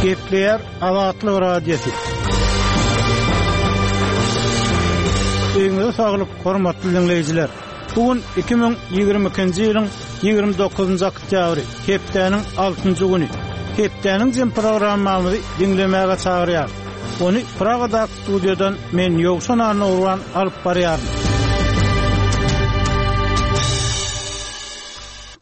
Gepleýär Azatlyk Radiosy. Öýüňize saglyk, hormatly diňleýjiler! Bu gün 2022-nji ýylyň 29-njy oktýabry, hepdäniň altynjy güni. Hepdäniň jem programmamyzy diňlemäge çagyrýarys. Ony Pragadaky studiýadan men Ýowşan Annagurban alyp barýaryn.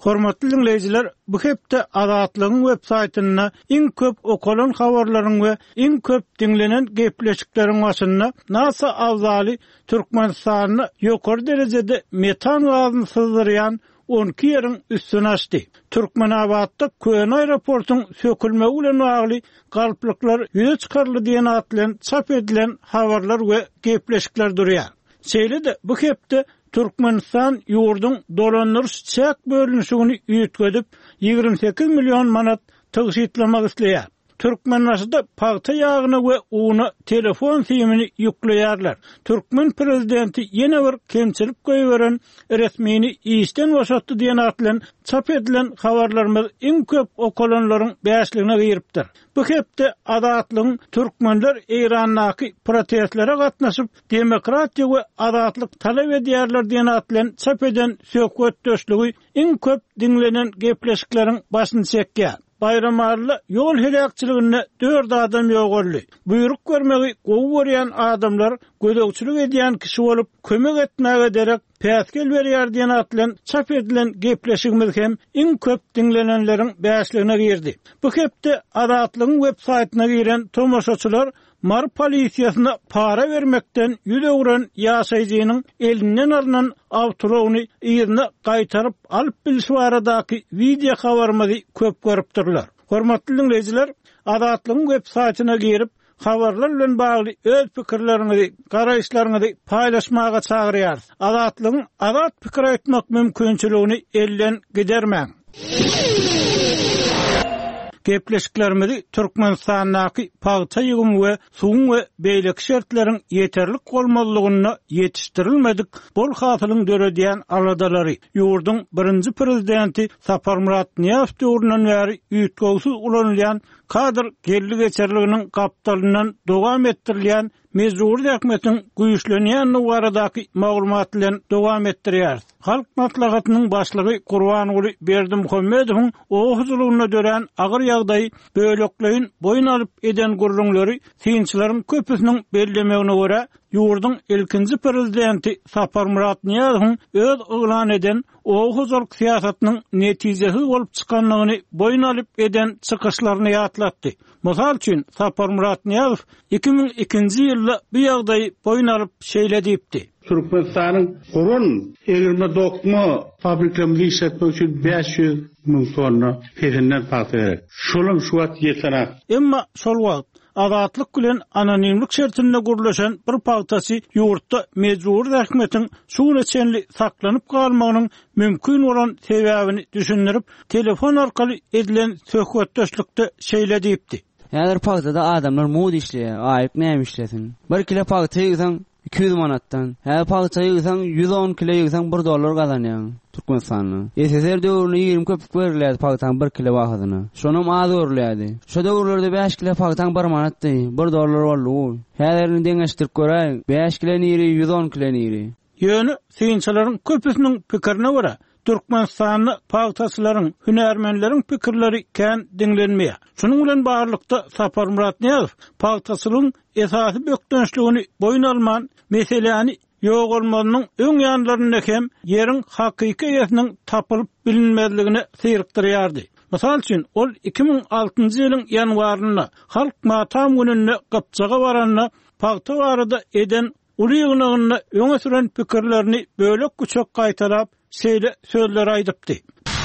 Hormatly diňleýjiler, bu hepde Azatlygyň web saýtynda iň köp okalan habarlaryň we iň köp diňlenen gepleşikleriň başynda NASA abzaly Türkmenistanda ýokary derejede metan gazyny syzdyrýan 12 ýeriň üstüni açdy. Türkmenabatda köne aeroportuň sökülmegi bilen bagly galplyklar ýüze çykaryldy diýen at bilen çap edilen habarlar we gepleşikler durýar. Şeýle-de bu hepde Türkmenistan ýurduň dolandyryş-çäk bölünişigini üýtgedip, 28 million manat tygşytlamak isleýär. Türkmenbaşyda pagta ýagyna we una telefon simini ýükleýärler. Türkmen prezidenti ýene bir kemçilik goýberen resmini işden boşatdy diýen at bilen çap edilen habarlarymyz iň köp okalanlaryň bäşligine giripdir. Bu hepde Azatlygyň Türkmenler Eýrandaky protestlere gatnaşyp, demokratiýa we azatlyk talap edýärler diýen at bilen çap eden söhbetdeşligi iň köp diňlenen gepleşikleriň başyny çekýär. Baýramalyda ýol heläkçiliginde dört adam ýogaldy. Buýruk bermegi gowy görýän adamlar gözegçilik edýän kişi bolup, kömek etmäge derek päsgel berýär diýen at bilen çap edilen gepleşigimiz hem iň köp diňlenenleriň bäşligine girdi. Bu hepde Azatlygyň web saýtyna giren tomaşaçylar Mary polisiýasyna para bermekden ýüz öwren ýaşaýjynyň elinden alnan awtoulagyny yzyna gaýtaryp alyp bilşi baradaky wideo habarymyzy köp görüpdirler. Hormatly diňleýjiler, Azatlygyň web saýtyna girip, habarlar bilen bagly öz pikirleriňizi, garaýyşlaryňyzy paýlaşmaga çagyrýarys. Azatlygyň azat pikir aýtmak mümkinçiligini elden gidermäň! Gepleşiklerimizi Türkmenistandaky pagta ýygymy we suwuň we beýleki şertleriň ýeterlik bolmazlygynda ýetişdirilmedik bol hasylyň döredýän aladalary, ýurduň birinji prezidenti Saparmyrat Nyýazow döwründen bäri üýtgewsiz ulanylýan kadr geldi-geçerliginiň gapdalyndan dowam etdirilýän Mejbury zähmetiň güýçlenýändigi baradaky maglumat bilen dowam etdirýäris. Halk Maslahatynyň Başlygy Gurbanguly Berdimuhamedowyň oba hojalygynda dörän agyr ýagdaýy bölekleýin boýun alyp eden gürrüňleri synçylaryň köpüsiniň bellemegine görä, ýurduň ilkinji prezidenti Saparmyrat Nyýazowyň öz yglan eden oba hojalyk syýasatynyň netijesiz bolup çykandygyny boýun alyp eden çykyşlaryny ýatlatdy. Mysal üçin, Saparmyrat Nyýazow 2002-nji ýylda bu ýagdaýy boýun alyp şeýle diýipdi. Türkmenistanyň guran egirme-dokma fabriklerimizi işletmek üçin 500 müň tonna pesinden pagta gerek. Şolam şu wagt ýetenak. Emma şol wagt Azatlyk bilen anonimlik şertinde gürleşen bir pagtaçy ýurtda mejbury zähmetiň şu güne çenli saklanyp galmagynyň mümkin bolan sebäbini düşündirip, telefon arkaly edilen söhbetdeşlikde şeýle diýipdi. Häzir pagtada adamlar mugt işleýär, aýlyk näme işlesin. Bir kile pagta ýygsaň, 200 manatdan. Häzir pagta ýygsaň, 110 kile ýygsaň bir dollar gazanýaň Türkmenistanda. SSR döwründe 20 köpük berilýärdi pagtaň bir kile bahasyna. Şonam az görülýärdi. Şo döwürlerde bäş kile pagtaň bir manatdy, bir dollar boldy. Häzir indi deňeşdirip göräýiň, bäş kile niri, 110 kile niri. Ýöne synçylaryň köpüsiniň pikirine görä, Türkmenistanda pagtaçylaryň, hünärmenleriň pikirleri kän diňlenmeýär. Şunuň bilen baglylykda, Saparmyrat Nyýazow pagtaçylygyň esasy bökdençligini boýun alman, meseläni ýogalmazynyň öň ýanlarynda hem ýeriň hakyky eýesiniň tapylyp bilinmezligine syrykdyrýardy. Mysal üçin, ol 2006-njy ýylyň ýanwarynda, Halk matam gününde Gypjaga baranda pagta barada eden Uly ýygnagynda öňe süren pikirlerini bölek-büçek gaýtalap, şeýle sözleri aýdypdy.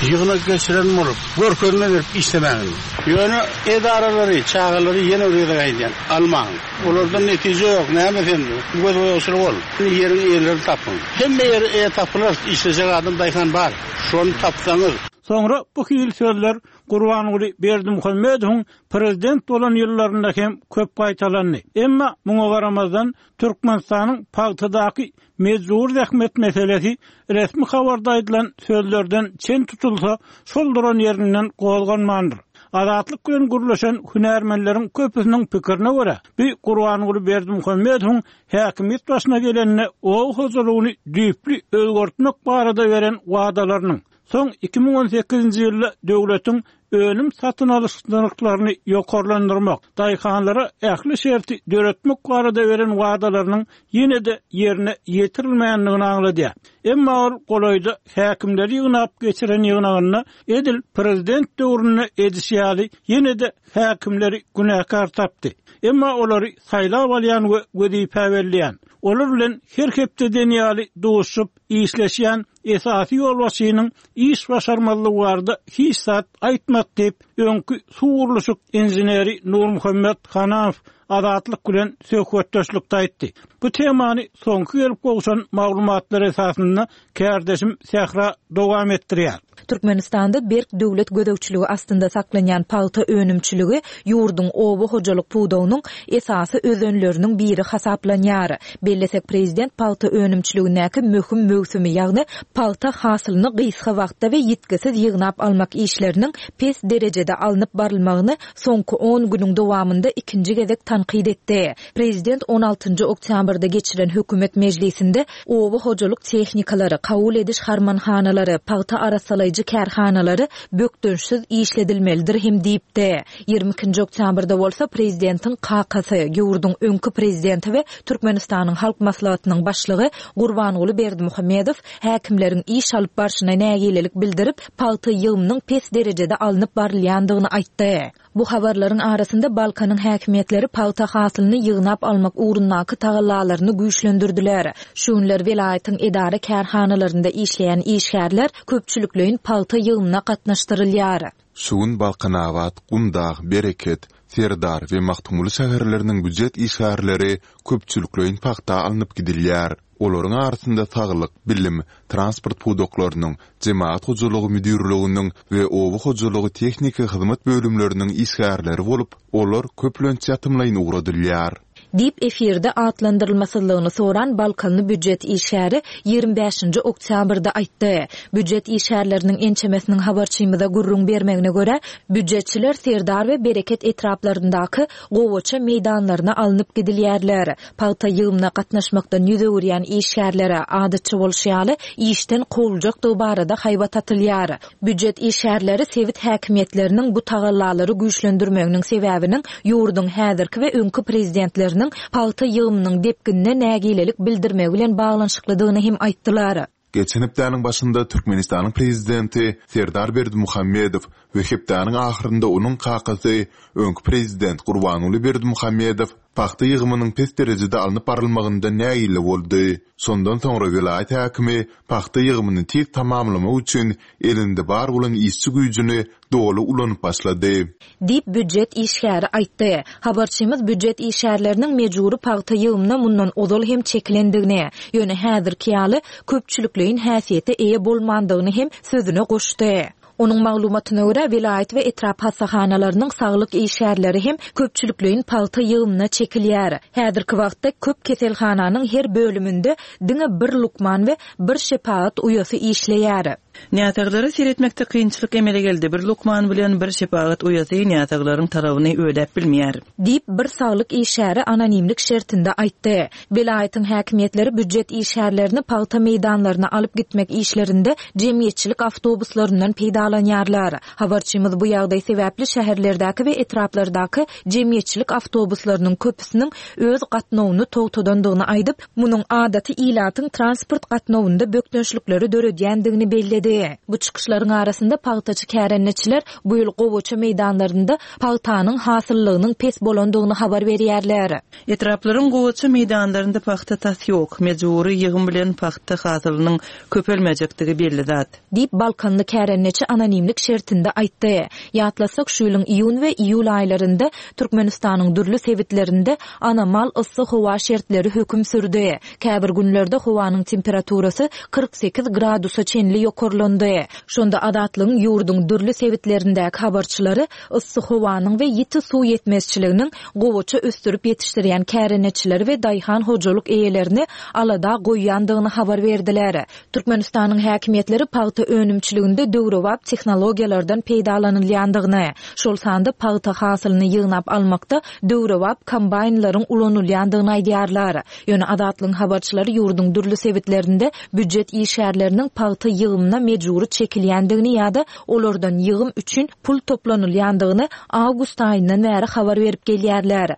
Ýygnak geçiren bolup, görkezme berip işlemäň indi. Ýöne edaralary, çagalary ýene bir gezek aýdýan, almaň. Olardan netije ýok, näme sen, gözboýagçylyk ol. Ýeriň eýelerini tapyň. Hemme ýere eýe tapylar, işlejek adam, daýhan bar. Şony tapsaňyz. Soňra bu hili sözler Gurbanguly Berdimuhamedowyň prezident bolan ýyllarynda hem köp gaýtalandy. Emma muňa garamazdan, Türkmenistanyň pagtadaky mejbury zähmet meselesi resmi habarda aýdylan sözlerden çen tutulsa, şol duran ýerinden gozganmandyr. Azatlyk bilen gürleşen hünärmenleriň köpüsiniň pikirine görä, bu Gurbanguly Berdimuhamedowyň häkimiýet başyna gelende oba hojalygyny düýpli özgertmek barada beren wadalarynyň, soň 2018-nji ýylda döwletiň önüm satyn alyş nyrhlaryny ýokarlandyrmak, daýhanlara ähli şerti döretmek barada beren wadalarynyň ýene-de ýerine ýetirilmändigini aňladýar. Emma ol golaýda häkimleri ýygnap geçiren ýygnagynda edil prezident döwründe edişi ýaly ýene-de häkimleri günäkär tapdy. Emma olary saýlap alýan we wezipä belleýän, olar bilen her hepde diýen ýaly duşuşyp, işleşýän esasy ýolbaşçynyň iş başarmazlygy barada hiç zat aýtmady diýip, öňki suw gurluşyk inženeri Nurmuhammet Hananow Azatlyk bilen söhbetdeşlikde aýtdy. Bu temany soňky gelip gowşan maglumatlar esasynda kärdeşim Sähra dowam etdirýär. Türkmenistanda berk döwlet gözegçiligi astynda saklanýan pagta önümçiligi ýurduň oba hojalyk pudagynyň esasy özenleriniň biri hasaplanýar. Bellesek, prezident pagta önümçiligindäki möhüm möwsümi, ýagny pagta hasylyny gysga wagtda we ýitgisiz ýygnap almak işleriniň pes derejede alnyp barylmagyny soňky on günüň dowamynda ikinji gezek tankyt etdi. Prezident on altynjy oktýabrda geçiren hökümet mejlisinde oba hojalyk tehnikalary, kabul ediş harmanhanalary, pagta arassalaýjy kärhanalary bökdençsiz işledilmelidir hem diýipdi. Ýigrimi ikinji oktýabrda bolsa prezidentiň kakasy, ýurduň öňki prezidenti we Türkmenistanyň Halk Maslahatynyň başlygy Gurbanguly Berdimuhamedow häkimleriň iş alyp barşyna nägilelik bildirip, pagta ýygymynyň pes derejede alnyp barylýandygyny aýtdy. Bu habarlaryň arasynda Balkanyň häkimiýetleri pagta hasylyny ýygnap almak ugrundaky tagallalaryny güýçlendirdiler. Şu günler welaýatyň edara-kärhanalarynda işleýän işgärler köpçülikleýin pagta ýygymyna gatnaşdyrylýar. Şu gün Balkanabat, Gumdag, Bereket, Serdar we Magtymguly şäherleriniň býujet işgärleri köpçülikleýin pagta alnyp gidilýär. Olaryň arasynda saglyk, bilim, transport pudaklarynyň, jemagat hojalygy müdirliginiň we oba hojalygy tehniki hyzmat bölümleriniň işgärleri bolup, olar köplenç ýatymlaýyn ugradylýar. Diýip, efirde atlandyrylmasyzlygyny soran balkanly býujet işgäri ýigrimi bäşinji oktýabrda aýtdy. Býujet işgärleriniň ençemesiniň habarçymyza gürrüň bermegine görä, býujetçiler Serdar we Bereket etraplaryndaky gowaça meýdanlaryna alnyp gidilýärler. Pagta ýygymyna gatnaşmakdan ýüz öwürýän işgärlere, adatça bolşy ýaly, işden kowuljakdygy barada haýbat atylýar. Býujet işgärleri sebit häkimiýetleriniň bu tagallalary güýçlendirmeginiň sebäbiniň ýurduň häzirki we öňki prezidentleriniň pagta ýygymynyň depginine nägilelik bildirmegi bilen baglanyşyklydygyny hem aýtdylar. Geçen hepdäniň başynda Türkmenistanyň prezidenti Serdar Berdimuhamedow we hepdäniň ahyrynda onuň kakasy, öňki prezident Gurbanguly Berdimuhamedow pagta ýygymynyň pes derejede alnyp barylmagyndan nägile boldy. Şondan soňra welaýat häkimi pagta ýygymyny tiz tamamlamak üçin elinde bar bolan işçi güýjüni doly ulanyp başlady. Diýip, býujet işgäri aýtdy. Habarçymyz býujet işgärleriniň mejbury pagta ýygymyna mundan ozal hem çekilendigini, ýöne häzirki ýaly köpçülikleýin häsiýete eýe bolmandygyny hem sözüne goşdy. Onuň maglumatyna görä, welaýat we etrap hassahanalarynyň saglyk işgärleri hem köpçülikleýin pagta ýygymyna çekilýär. Häzirki wagtda köp keselhananyň her bölüminde diňe bir lukman we bir şepagat uýasy işleýär. Näsaglara seretmekde kynçylyk emele geldi, bir lukman bilen bir şepagat uýasy näsaglaryň talabyny ödäp bilmeýär. Diýip, bir saglyk işgäri anonimlik şertinde aýtdy. Welaýatyň häkimiýetleri býujet işgärlerini pagta meýdanlaryna alyp gitmek işlerinde jemgyýetçilik awtobuslaryndan peýdalanýarlar. Habarçymyz bu ýagdaý sebäpli şäherlerdäki we etraplardaky jemgyýetçilik awtobuslarynyň köpüsiniň öz gatnawyny togtadandygyny aýdyp, munuň adaty ilatyň transport gatnawynda bökdençlikleri döredýändigini belledi. Bu çykyşlaryň arasynda pagtaçy kärendeçiler bu ýyl gowaça meýdanlarynda pagtanyň hasyllygynyň pes bolandygyny habar berýärler. Etraplaryň gowaça meýdanlarynda pagta tas ýok. Mejbury ýygym bilen pagta hasylynyň köpelmejekdigi belli zat. Diýip, balkanly kärendeçi anonimlik şertinde aýtdy. Ýatlasak, şu ýylyň iýun we iýul aýlarynda Türkmenistanyň dürli sebitlerinde anomal yssy howa şertleri höküm sürdi. Käbir günlerde howanyň temperaturasy 48 gradusa çenli ýokarlandy. ýokarlandy. Şonda Azatlygyň ýurduň dürli sebitlerindäki habarçylary yssy howanyň we ýiti suw ýetmezçiliginiň gowaça ösdürip ýetişdirýän kärendeçileri we daýhan hojalyk eýelerini alada goýýandygyny habar berdiler. Türkmenistanyň häkimiýetleri pagta önümçiliginde döwrebap tehnologiýalardan peýdalanylýandygyny, şol sanda pagta hasylyny ýygnap almakda döwrebap kombaýnlaryň ulanylýandygyny aýdýarlar. Ýöne Azatlygyň habarçylary ýurduň dürli sebitlerinde býujet işgärleriniň pagta ýygymyna mejbury çekilýändigini ýa-da olardan ýygym üçin pul toplanylýandygyny awgust aýyndan bäri habar berip gelýärler.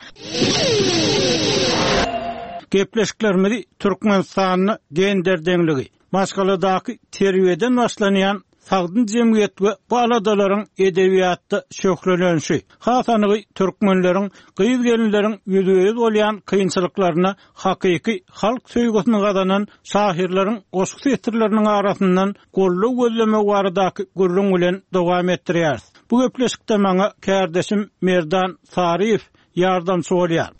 Gepleşiklerimizi Türkmenistanda gender deňligi, maşgaladaky terbiýeden başlanýan sagdyn jemgyýet we bu aladalaryň edebiýatda şöhlelenişi, has anygy türkmenleriň gyz-gelinleriň ýüzbe-ýüz bolýan kynçylyklaryna hakyky halk söýgüsini gazanan şahyrlaryň goşgy setirleriniň arasyndan goldaw gözlemegi baradaky gürrüň bilen dowam etdirýäris. Bu gepleşikde maňa kärdeşim Merdan Saryýew ýardamçy bolýar.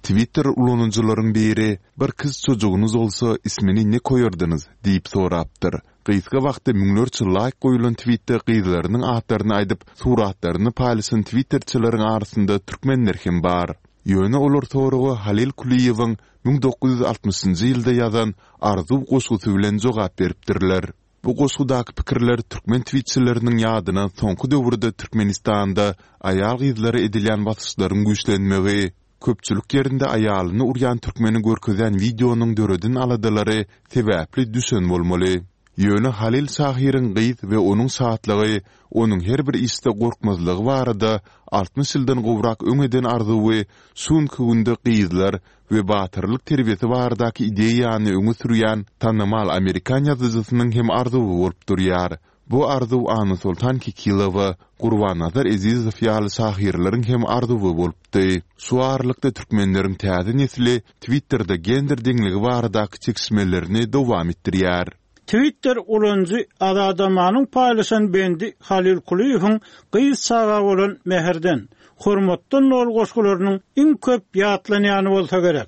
Twitter ulanyjylaryň biri, Bir kyz çojugynyz bolsa, ismini ne koýardynyz? diýip sorapdyr. Gysga wagtda müňlerçe laýk goýulan twitde gyzlarynyň atlaryny aýdyp, suratlaryny paýlaşan twitterçileriň arasynda türkmenler hem bar. Ýöne olar soraga Halyl Kulyýewiň 1960-njy ýylda ýazan Arzuw goşgusy bilen jogap beripdirler. Bu goşgudaky pikirler türkmen twitçileriniň ýadyna soňky döwürde Türkmenistanda aýal-gyzlara edilýän basyşlaryň güýçlenmegi, köpçülik ýerinde aýalyny urýan türkmeni görkezýän wideonyň döreden aladalary sebäpli düşen bolmaly. Ýöne Halyl şahyryň gyz we onuň şatlygy, onuň her bir işde gorkmazlygy barada 60 ýyldan gowrak öň eden arzuwy şu günki günde gyzlar we batyrlyk terbiýesi baradaky ideýany öňe sürýän tanymal amerikan ýazyjysynyň hem arzuwy bolup durýar. Bu arzuw Annasoltan Kekilowa, Gurbannazar Ezizow ýaly şahyrlaryň hem arzuwy bolupdy. Şu aralykda türkmenleriň täze nesli Twitterde gender deňligi baradaky çekişmelerini dowam etdirýär. Twitter ulanyjy Azadamanyň paýlaşan bendi Halyl Kulyýewiň gyz çaga bolan mähirden, hormatdan doly goşgularynyň iň köp ýatlanýany bolsa gerek.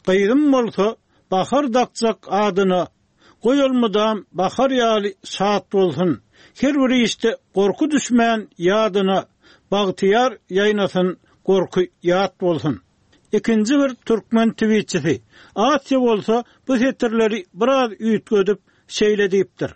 Gyzym bolsa, Bahar dakjak adyna, Goý ol mydam bahar ýaly şat bolsun, Her bir işde gorky düşmän ýadyna, Bagtyýar ýaýnasyn, gorky ýat bolsun. Ikinji bir türkmen twitçisi Asiýa bolsa bu setirleri biraz üýtgedip şeýle diýipdir,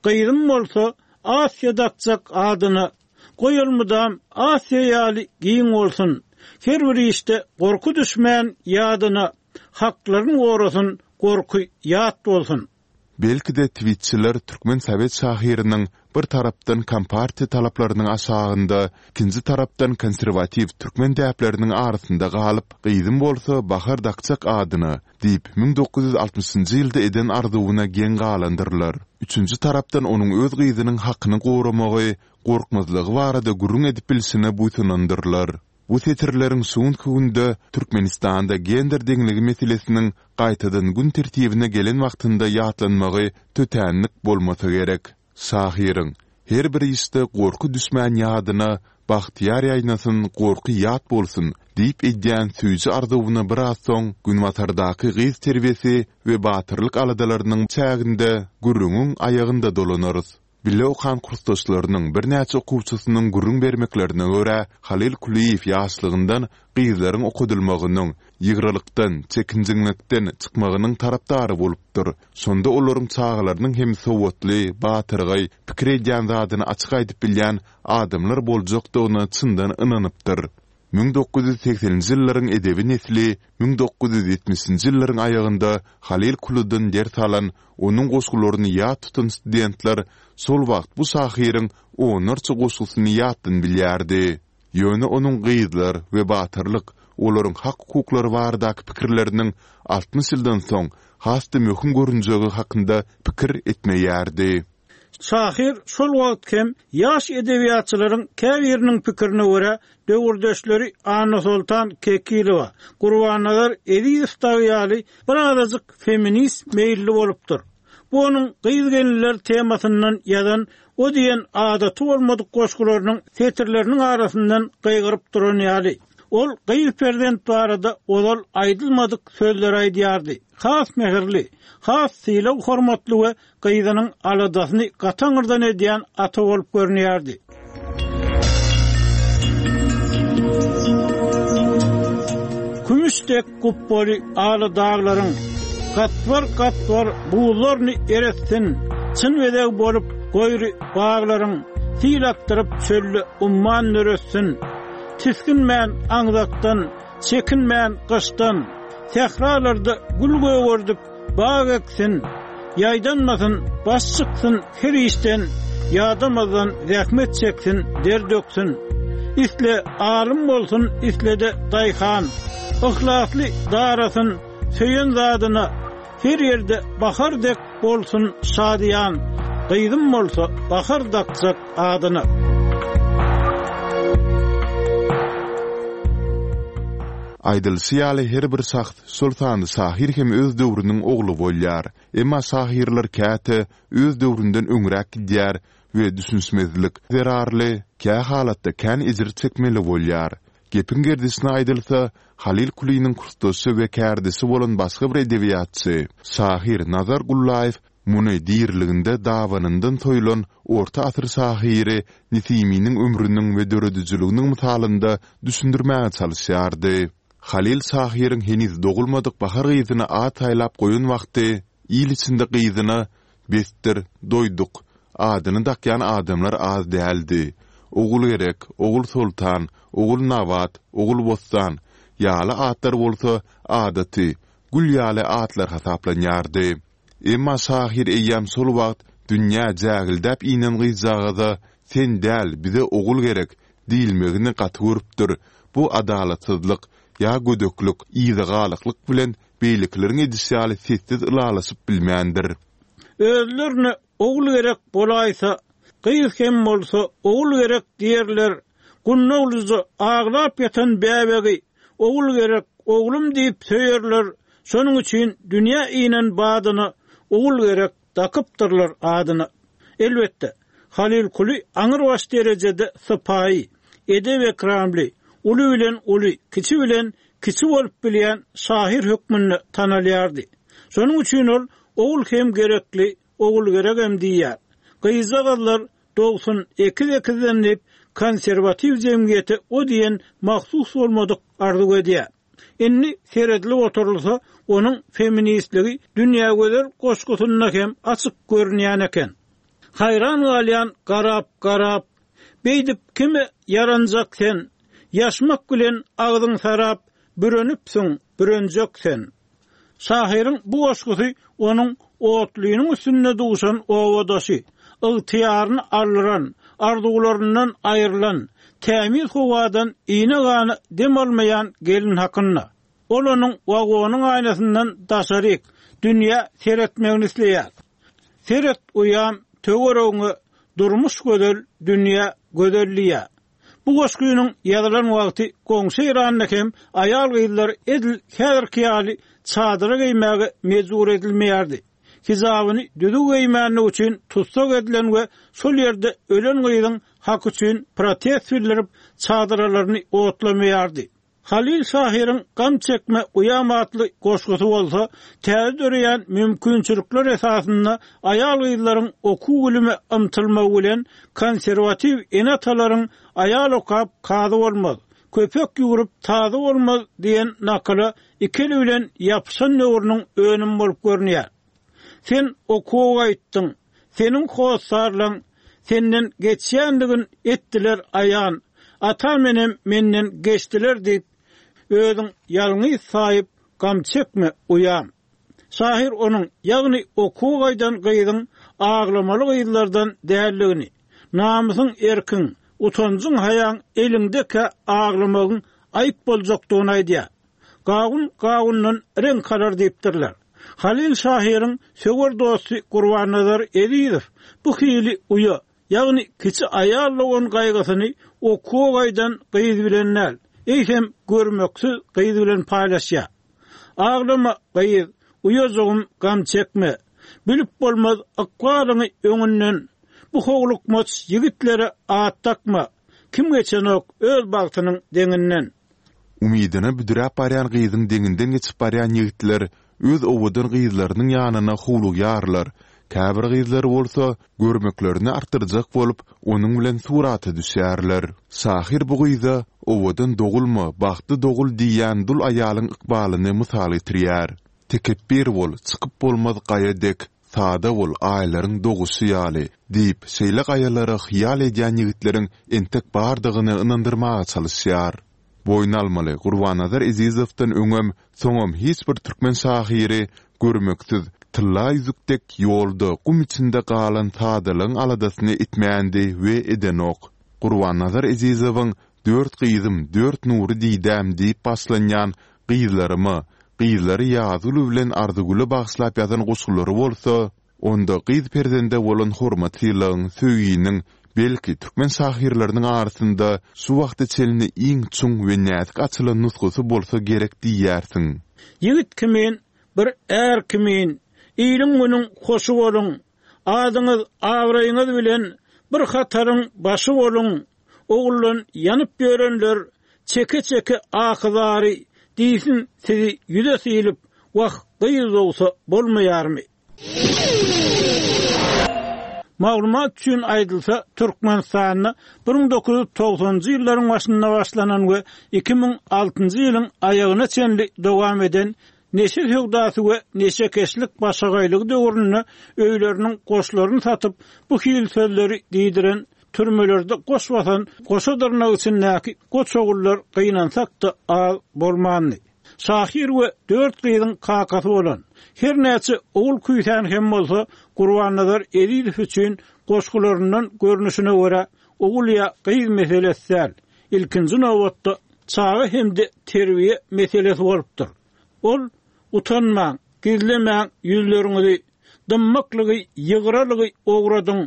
Gyzym bolsa Asiýa dakjak adyna, Goý ol mydam Asiýa ýaly giň bolsun, Her bir işde gorky düşmän ýadyna, Haklaryn gorasyn, gorky ýat bolsun. Belki-de twitçiler türkmen sowet şahyrynyň bir tarapdan kompartiýa talaplarynyň aşagynda, ikinji tarapdan konserwatiw türkmen däpleriniň arasynda galyp, gyzym bolsa Bahar dakjak adyna diýip 1960-njy ýylda eden arzuwyna geň galandyrlar. Üçünji tarapdan onuň öz gyzynyň hakyny goramagy, gorkmazlygy barada gürrüň edip bilşine buýsanandyrlar. Bu setirleriň şu günki günde Türkmenistanda gender deňligi meselesiniň gaýtadan gün tertibine gelen wagtynda ýatlanmagy tötänlik bolmasa gerek. Şahyryň, Her bir işde gorky düşmän ýadyna, Bagtyýar ýaýnasyn, gorky ýat bolsun! diýip edýän süýji arzuwyna biraz soň Günbatardaky gyz terbiýesi we batyrlyk aladalarynyň çäginde gürrüňiň aýagynda dolanarys. Bile okan kursdaşlarynyň birnäçe okuwçysynyň gürrüň bermeklerine görä, Halyl Kulyýew ýaşlygyndan gyzlaryň okadylmagynyň, ýygralykdan, çekinjeňlikden çykmagynyň tarapdary bolupdyr. Şonda olaryň çagalarynyň hem sowatly, batyrgaý, pikir edýän zadyny açyk aýdyp bilýän adamlar boljakdygyna çyndan ynanypdyr. 1980-nji ýyllaryň edebi nesli 1970-nji ýyllaryň aýagynda Halyl Kulydan ders alan, onuň goşgularyny ýat tutan studentler şol wagt bu şahyryň onlarça goşgusyny ýatdan bilýärdi. Ýöne onuň gyzlar we batyrlyk, olaryň hak-hukuklary baradaky pikirleriniň 60 ýyldan soň has-da möhüm görünjegi hakynda pikir etmeýärdi. Şahyr şol wagt hem ýaş edebiýatçylaryň käbiriniň pikirine görä, döwürdeşleri Annasoltan Kekilowa, Gurbannazar Ezizow dagy ýaly birazajyk feminist meýilli bolupdyr. Bu onuň gyz-gelinler temasyndan ýazan o diýen adaty bolmadyk goşgularynyň setirleriniň arasyndan gygyryp duran ýaly. Ol gyz perzent barada ozal aýdylmadyk sözleri aýdýardy. Has mähirli, has sylag-hormatly we gyzynyň aladasyny gataňyrdan edýän ata bolup görünýärdi. Kümüş dek gupbaly ala daglaryň Gatbar-gatbar buzlaryny eretsin, Çyn bezeg bolup goýry baglaryň Sil akdyryp çölde umman döretsin. Tisginmän aňzakdan, çekinmän gyşdan, Sähralarda gül gögerdip, bag eksin, Ýaýdanmasyn, baş çyksyn her işden, Ýadamazdan zähmet çeksin, der döksün. Isle alym bolsun, isle-de daýhan, Yhlasly darasyn söýen zadyna, Her ýerde bahar dek bolsun şadyýan, Gyzym bolsa bahar dakjak adyna. Aýdylyşy ýaly her bir şahs, şol sanda şahyr hem öz döwrüniň ogly bolýar. Emma şahyrlar käte öz döwründen öňräk gidýär we düşünişmezlik zerarly kä halatda kän ejir çekmeli bolýar. Gepiň gerdişine aýdylsa, Halyl Kulynyň kursdaşy we kärdeşi bolan başga bir edebiýatçy, şahyr Nazar Gullaýew muny diriliginde dabanyndan soýlan orta asyr şahyry Nesiminiň ömrüniň we döredijiliginiň mysalynda düşündirmäge çalyşýardy. Halyl şahyryň heniz dogulmadyk Bahar gyzyna at saýlap goýan wagty il içinde gyzyna Besdir, doýduk adyny dakýan adamlar az däldi. Ogulgerek, Ogulsoltan, Ogulnabat, Ogulbossan ýaly atlar bolsa adaty, gül ýaly atlar hasaplanýardy. Emma şahyr eýýäm şol wagt dünýä jägildäp inen gyzjagaza Sen däl, bize ogul gerek diýilmegini gaty görüpdir, bu adalatsyzlyk ýa gödeklik, yzagalaklyk bilen beýlekileriň edişi ýaly sessiz ylalaşyp bilmändir. Özlerine ogul gerek bolaýsa, gyz hem bolsa ogul gerek diýerler, gundaglyja aglap ýatan bäbegi ogul gerek, oglum diýip söýerler, şonuň üçin dünýä inen badyna ogul gerek dakypdyrlar adyna. Elbetde, Halyl Kuly aňrybaş derejede sypaýy, edep-ekramly, uly bilen uly, kiçi bilen kiçi bolup bilýän şahyr hökmünde tanalýardy. Şonuň üçin ol Ogul hem gerekli, Ogulgeregem diýýär. Gyzjagazlar dogsun ekiz-ekizden diýip, konserwatiw jemgyýete o diýen mahsus bolmadyk arzuw edýär. Indi seredilip oturylsa, onuň feministligi Dünýägözel goşgusynda hem açyk görünýän eken. Haýran galýan garap-garap, Beýdip kime ýaranjak sen, Ýaşmak bilen agzyň sarap, Bürenipsiň, bürenjek sen. Şahyryň bu goşgusy onuň otlynyň üstünde duşan obadaşy, ygtyýaryny aldyran, arzuwlaryndan aýrylan, tämiz howadan iýne-gana dem almaýan gelin hakynda. Ol onuň wagonyň aýnasyndan daşaryk, dünýä seretmegini isleýär. Seret uýam, töweregiňe, durmuş gözel, dünýä gözel diýýär. Bu goşgynyň ýazylan wagty goňşy Eýranda hem aýal-gyzlar edil häzirki ýaly çadyra geýmäge mejbur edilmeýärdi. Hijabyny düzüw geýmänligi üçin tussag edilen we şol ýerde ölen gyzyň haky üçin protest bildirip çadyralaryny otlamaýardy. Halyl şahyryň Gam çekme, uýam atly goşgusy bolsa, täze döreýän mümkinçilikler esasynda aýal-gyzlaryň okuw-bilime ymtylmagy bilen konserwatiw ene-atalaryň Aýal okap kazy bolmaz, köpek ýüwrüp tazy bolmaz diýen nakyla iki eli bilen ýapyşan döwrüniň önümi bolup görünýär. Sen okuwa gaýtdyň, seniň hossarlaň senden geçýändigin etdiler aýan, atam-enem menden geçdiler diýip, özüň ýalňyz saýyp gam çekme, uýam. Şahyr onuň, ýagny okuwa gaýdan gyzyň aglamaly gyzlardan däldigini, namysyň erkiň, utanjyň-haýaň eliňdekä aglamagyň aýyp boljakdygyny aýdýar. Gawun gawundan reňk alar diýipdirler. Halyl şahyryň söwer dosty Gurbannazar Ezizow bu hili uýa, ýagny kiçi aýal dogan gaýgysyny okuwa gaýdan gyz bilen däl, eýsem görmeksiz gyz bilen paýlaşýar. Aglama, gyz, uýajygym gam çekme. Bilip bolmaz ykbalyňy öňünden. Bu howlukmaç ýigitlere at dakma. Kim geçenok öz bagtynyň deňinden. Umydyna büdräp barýan gyzyň deňinden geçip barýan ýigitler öz owadan gyzlarynyň ýanyna howlugýarlar, käbir gyzlar bolsa, görmeklerini artdyrjak bolup, onuň bilen surata düşýärler. Şahyr bu gyza Owadan dogulma, bagtly dogul diýýän dul aýalyň ykbalyny mysal getirýär. Tekepbir bol, çykyp bolmaz gaýa dek, sada bol, aýlaryň doguşy ýaly, diýip, şeýle gaýalara hyýal edýän ýigitleriň entek bardygyny ynandyrmaga çalyşýar. Boýun almaly, Gurbannazar Ezizowdan öňem, soňam hiç bir türkmen şahyry görmeksiz, tylla ýüzük dek ýolda, gum içinde galan sadalygyň aladasyny etmändi we edenok. Gurbannazar Ezizowyň Dört gyzym, dört nury didäm diýip başlanýan Gyzlaryma, gyzlary Ýazgül bilen Arzygüle bagyşlap ýazan goşgulary bolsa, Onda gyz perzende bolan hormat-sylagyň, söýginiň, belki, türkmen şahyrlarynyň arasynda şu wagta çenli iň çuň we näzik açylan nusgasy bolsa gerek diýersiň. Ýigit kimin, bir är kimin, iliň-günüň hoşy boluň, adyňyz, abraýyňyz bilen bir hataryň başy boluň, oguldan ýanyp ýörenler çeke-çeke ahy-zary diýsin sizi ýüze sylyp, wah, gyz dogsa bolmaýarmy? Maglumat üçin aýdylsa, Türkmenistanda 1990-njy ýyllaryň başynda başlanan we 2006-njy ýylyň aýagyna çenli dowam eden neşe söwdasy we neşekeşlik başagaýlygy döwründe öýleriniň goşlaryny satyp, bu hili sözleri diýdiren, türmelerde goş basan goşa dyrnak içindäki goç ogullar gynansak-da az bolmandy. Şahyr we dört gyzyň kakasy bolan, her näçe ogul küýsän hem bolsa, Gurbannazar Ezizow üçin goşgularyndan görnüşine görä, ogul ýa gyz meselesi däl, ilkinji nobatda çaga hem-de terbiýe meselesi bolupdyr. Ol, Utanmaň, gizlemäň ýüzleriňizi, dymmaklygy, ýygralygy ogradyň,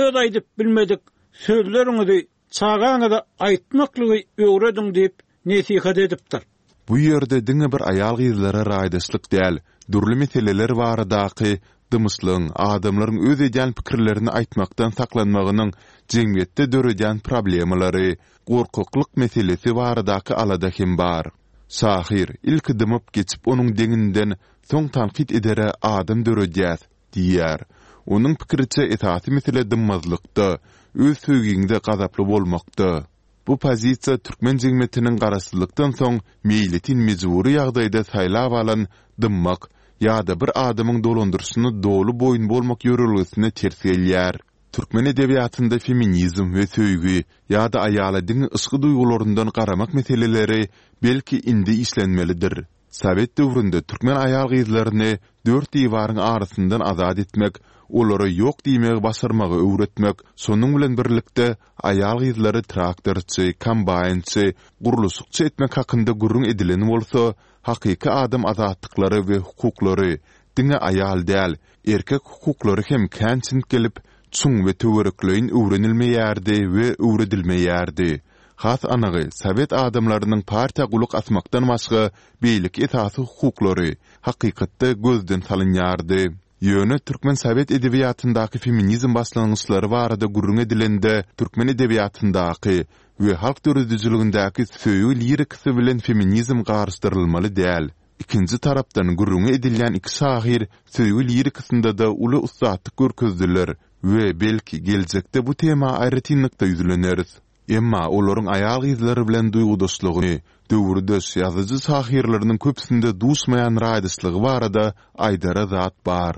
öz aýdyp bilmedik sözleriňizi Çagaňyza aýtmaklygy öwrediň diýip, nesihat edipdir. Bu ýerde diňe bir aýal-gyzlara raýdaşlyk däl, dürli meseleler baradaky dymyşlygyň, adamlaryň öz edýän pikirlerini aýtmakdan saklanmagynyň jemgyýetde döredýän problemalary, gorkaklyk meselesi baradaky alada hem bar. Şahyr, ilki dymyp geçip onuň deňinden, soň tankyt edere adam döredýäs, Diýýär. Onuň pikiriçe, esasy mesele dymmazlykda, öz söýgiňde gazaply bolmakda. Bu pozisiýa türkmen jemgyýetiniň garaşsyzlykdan soň meýletin mejbury ýagdaýda saýlap alan dymmak ýa-da bir adamyň dolandyryşyna doly boýun bolmak ýörelgesine ters gelýär. Türkmen edebiýatynda feminizm we söýgi ýa-da aýala diňe yşky duýgularyndan garamak meseleleri belki indi işlenmelidir. Sowet döwründe türkmen aýal-gyzlaryny dört diwaryň arasyndan azat etmek, olara ýok diýmegi başarmagy öwretmek, şonuň bilen birlikde aýal-gyzlary traktorçy, kombaýnçy, gurluşykçy etmek hakynda gürrüň edilen bolsa, hakyky adam azatlyklary we hukuklary, diňe aýal däl, erkek hukuklary hem kän çintgelip, çuň we töwerekleýin öwrenilmeýärdi we öwredilmeýärdi. Has anygy, sowet adamlarynyň partiýa gulak asmakdan başga beýleki esasy hukuklary, hakykatda gözden salynýardy. Ýöne türkmen sowet edebiýatyndaky feminizm başlangyçlary barada gürrüň edilende, türkmen edebiýatyndaky we halk döredijiligindäki söýgi lirikasy bilen feminizm garyşdyrylmaly däl. Ikinji tarapdan, gürrüňi edilýän iki şahyr söýgi lirikasynda-da uly ussatlyk görkezdiler we, belki, geljekde bu tema aýratynlykda ýüzleneris. Emma olaryň aýal-gyzlar bilen duýgudaşlygy, döwürdeş ýazyjy-şahyrlarynyň köpüsinde duşmaýan raýdaşlygy barada aýdara zat bar.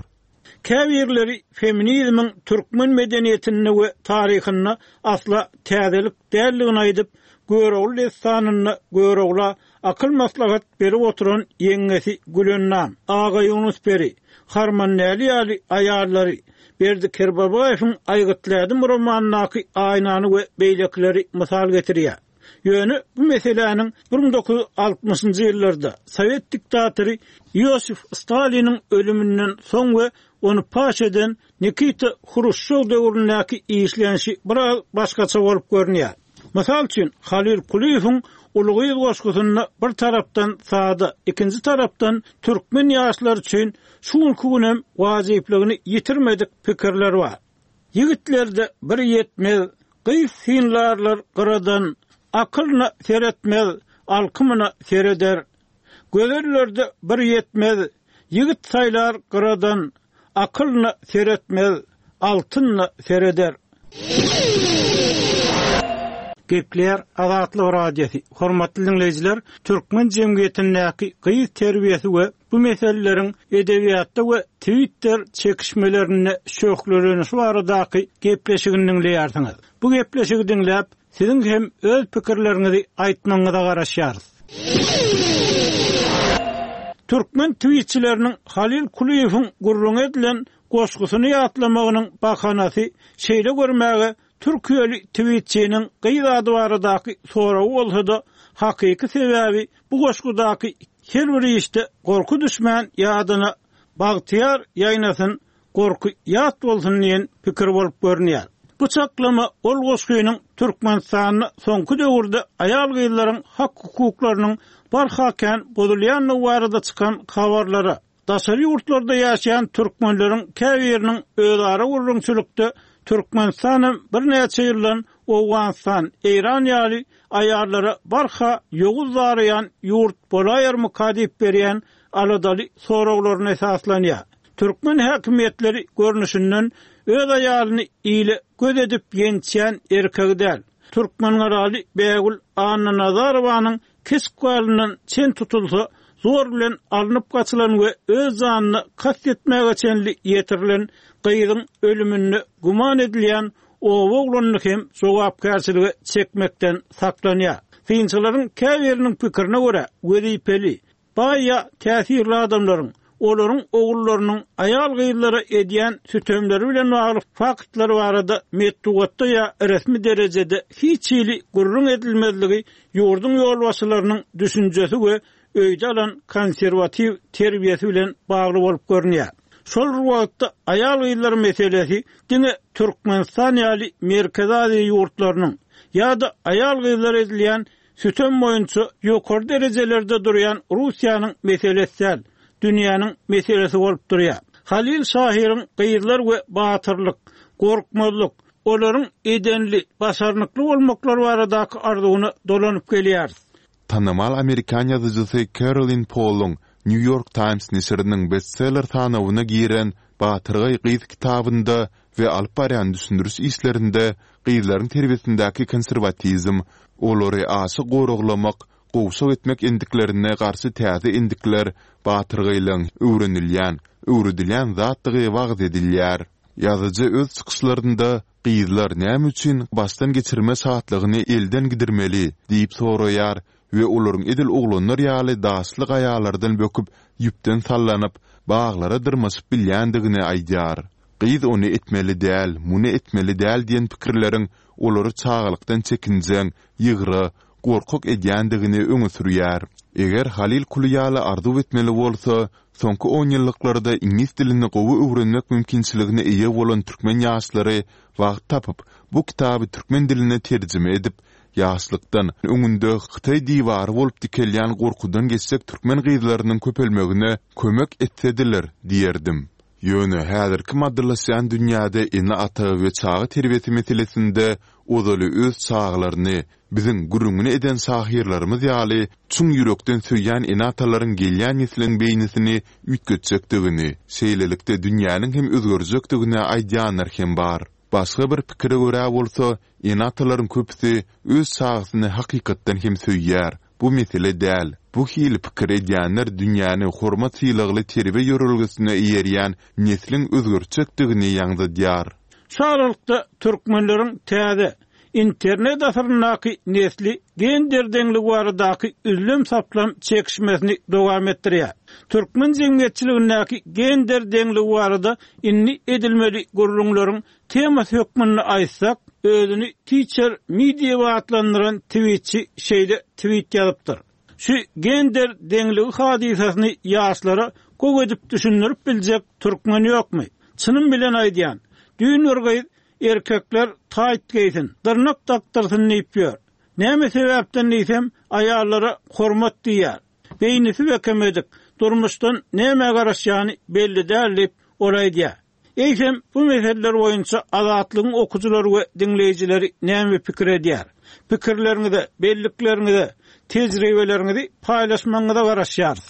Käbirleri feminizmiň türkmen medeniýetinde we taryhynda asla täzelik däldigini aýdyp, Görogly dessanynda Görogla akyl-maslahat berip oturan ýeňňesi Gülennam, Agaýunus peri, Harmandäli ýaly aýallary, Berdi Kerbabaýewiň Aýgytly ädim romanyndaky Aýnany we beýlekileri mysal getirýär. Ýöne bu meseläniň 1960-njy ýyllarda sowet diktatory Iosif Staliniň ölüminden soň we ony paş eden Nikita Hruşçow döwründäki işlenişi biraz başgaça bolup görünýär. Mysal üçin, Halyl Kulyýewiň Uly gyz goşgusynda bir tarapdan sada, ikinji tarapdan türkmen ýaşlary üçin şu günki günem wajyplygyny ýitirmedik pikirler bar. Ýigitlerde bir ýetmez, gyz synlarlar gyradan, Akylyna seretmez, alkymyna sereder. Gözellerde bir ýetmez, ýigit saýlar gyradan, Akylyna seretmez, altynyna sereder. Gepleýär Azatlyk Radiosy, Hormatly diňleýjiler, türkmen jemgyýetindäki gyz terbiýesi we bu meseleleriň edebiýatda we Twitter çekişmelerinde şöhlelenişi baradaky gepleşigini diňleýärsiňiz. Bu gepleşigi diňläp, Siziň hem öz pikirleriňizi aýtmagyňyza garaşýarys. Türkmen twitçileriniň Halyl Kulyýewiň gürrüňi edilen goşgusyny ýatlamagynyň bahanasy şeýle görmäge türkiýeli twitçiniň gyz ady baradaky soragy bolsa-da, hakyky sebäbi bu goşgudaky her bir işde gorky düşmän ýadyna Bagtyýar ýaýnasyn Gorky ýat bolsun diýen pikir bolup görünýär. Bu çaklama ol goşgynyň Türkmenistanda soňky döwürde aýal-gyzlaryň hak-hukuklarynyň barha kän bozulýandygy barada çykan habarlara, daşary ýurtlarda ýaşaýan türkmenleriň käbiriniň özara gürrüňçilikde Türkmenistanam birnäçe ýyldan Owganystan, Eýran ýaly aýallara barha ýowuz daraýan ýurt bolaýarmyka diýip berýän aladaly soraglaryna esaslanýar. Türkmen häkimiýetleri görnüşinden öz aýalyny ile göz edip ýençýän erkegi däl. Türkmengalaly Bägül Annanazarowanyň kesip galyndan çen tutulsa, zor bilen alnyp gaçylan we öz janyna kast etmäge çenli ýetirilen gyzyň ölüminde güman edilýän oba oglanyny hem jogapkärçilige çekmekden saklanýar. Synçylaryň käbiriniň pikirine görä, wezipeli, Baý ýa täsirli adamlaryň, olaryň ogullarynyň aýal-gyzlara edýän sütemleri bilen bagly faktlar barada metbugatda ýa resmi derejede hiç hili gürrüň edilmezligi ýurduň ýolbaşçylarynyň düşünjesi we öýde alan konserwatiw terbiýesi bilen bagly bolup görünýär. Şol bir wagtda aýal-gyzlar meselesi diňe Türkmenistan ýaly Merkezi Aziýa ýurtlarynyň ýa-da aýal-gyzlara edilýän Sütem boýunça ýokary derejelerde durýan Russiýanyň meselesi däl, dünýäniň meselesi bolup durýar. Halyl şahyryň gyzlar we batyrlyk, gorkmazlyk, olaryň edenli, başarnykly bolmaklary baradaky arzuwyna dolanyp gelýäris. Tanymal amerikan ýazyjysy Kerolin Poluň New York Times neşiriniň bestseller sanawyna giren Batyrgaý gyz kitabynda we alyp barýan düşündiriş işlerinde gyzlaryň terbiýesindäki konserwatizm, olary aşa goraglamak, gowşak etmek endiklerine garşy täze endikler, batyrgaýlygyň öwrenilýän, öwredilýän zatdygy wagyz edilýär. Ýazyjy öz çykyşlarynda Gyzlar näme üçin başdan geçirme şatlygyny elden gidirmeli? diýip soraýar we olaryň edil oglanlar ýaly daşly gaýalardan böküp, ýüpden sallanyp, baglara dyrmaşyp bilýändigini aýdýar. Gyz ony etmeli däl, muny etmeli däl diýen pikirleriň olary çagalykdan çekinjeň, ýygra, gorkak edýändigini öňe sürýär. Eger Halyl Kuly ýaly arzuw etmeli bolsa, soňky onýyllyklarda iňlis dilini gowy öwrenmek mümkinçiligine eýe bolan türkmen ýaşlary wagt tapyp, bu kitaby türkmen diline terjime edip, ýaşlykdan öňünde hytaý diwary bolup dikelýän gorkudan geçjek türkmen gyzlarynyň köpelmegine kömek etsediler diýerdim. Ýöne häzirki maddylaşýan dünýäde ene-ata we çaga terbiýesi meselesinde ozaly öz çagalaryny biziň gürrüňini eden şahyrlarymyz ýaly çuň ýürekden söýýän ene-atalaryň gelýän nesliň beýnisini üýtgetjekdigini, şeýlelikde dünýäniň hem özgerjekdigini aýdýanlar hem bar. Başga bir pikire görä bolsa, ene-atalaryň köpüsi öz çagasyny hakykatdan hem söýýär, bu mesele däl. Bu hili pikir edýänler dünýäni hormat-sylagly terbiýe ýörelgesine eýerýän nesliň özgertjekdigini ýaňzydýar. Şu aralykda türkmenleriň täze, internet asyryndaky nesli gender deňligi baradaky üzlem-saplam çekişmesini dowam etdirýär. Türkmen jemgyýetçiligindäki gender deňligi barada indi edilmeli gürrüňleriň temasy hökmünde aýtsak, özüni Teacher Me diýip atlandyran twitçi şeýle twit ýazypdyr, Şu gender deňligi hadysasyny ýaşlara gowy edip düşündirip biljek türkmen ýokmy? Çynym bilen aýdýan, düýn bir gyz Erkekler taýt geýsin, dyrnak dakdyrsyn diýip ýör. Näme sebäpden diýsem, aýallara hormat diýýär. Beýnisi bekemedik, durmuşdan nämä garaşýany belli däl diýip, ol aýdýar. Eýsem, bu meseleler boýunça Azatlygyň okyjylary we diňleýjileri näme pikir edýär? Pikirleriňize, bellikleriňize, tejribeleriňizi paýlaşmagyňyza garaşýarys.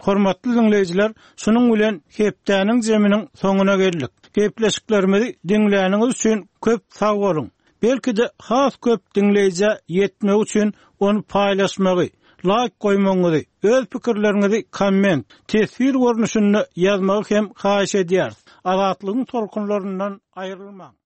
Hormatly diňleýjiler, şunuň bilen hepdäniň jeminiň soňuna geldik. Gepleşiklerimizi diňläniňiz üçin köp sag boluň! Belki-de has köp diňleýjä ýetmegi üçin ony paýlaşmagy, laýk goýmagyňyzy, öz pikirleriňizi komment, teswir görnüşinde ýazmagy hem haýyş edýäris. Azatlygyň tolkunlaryndan aýrylmaň!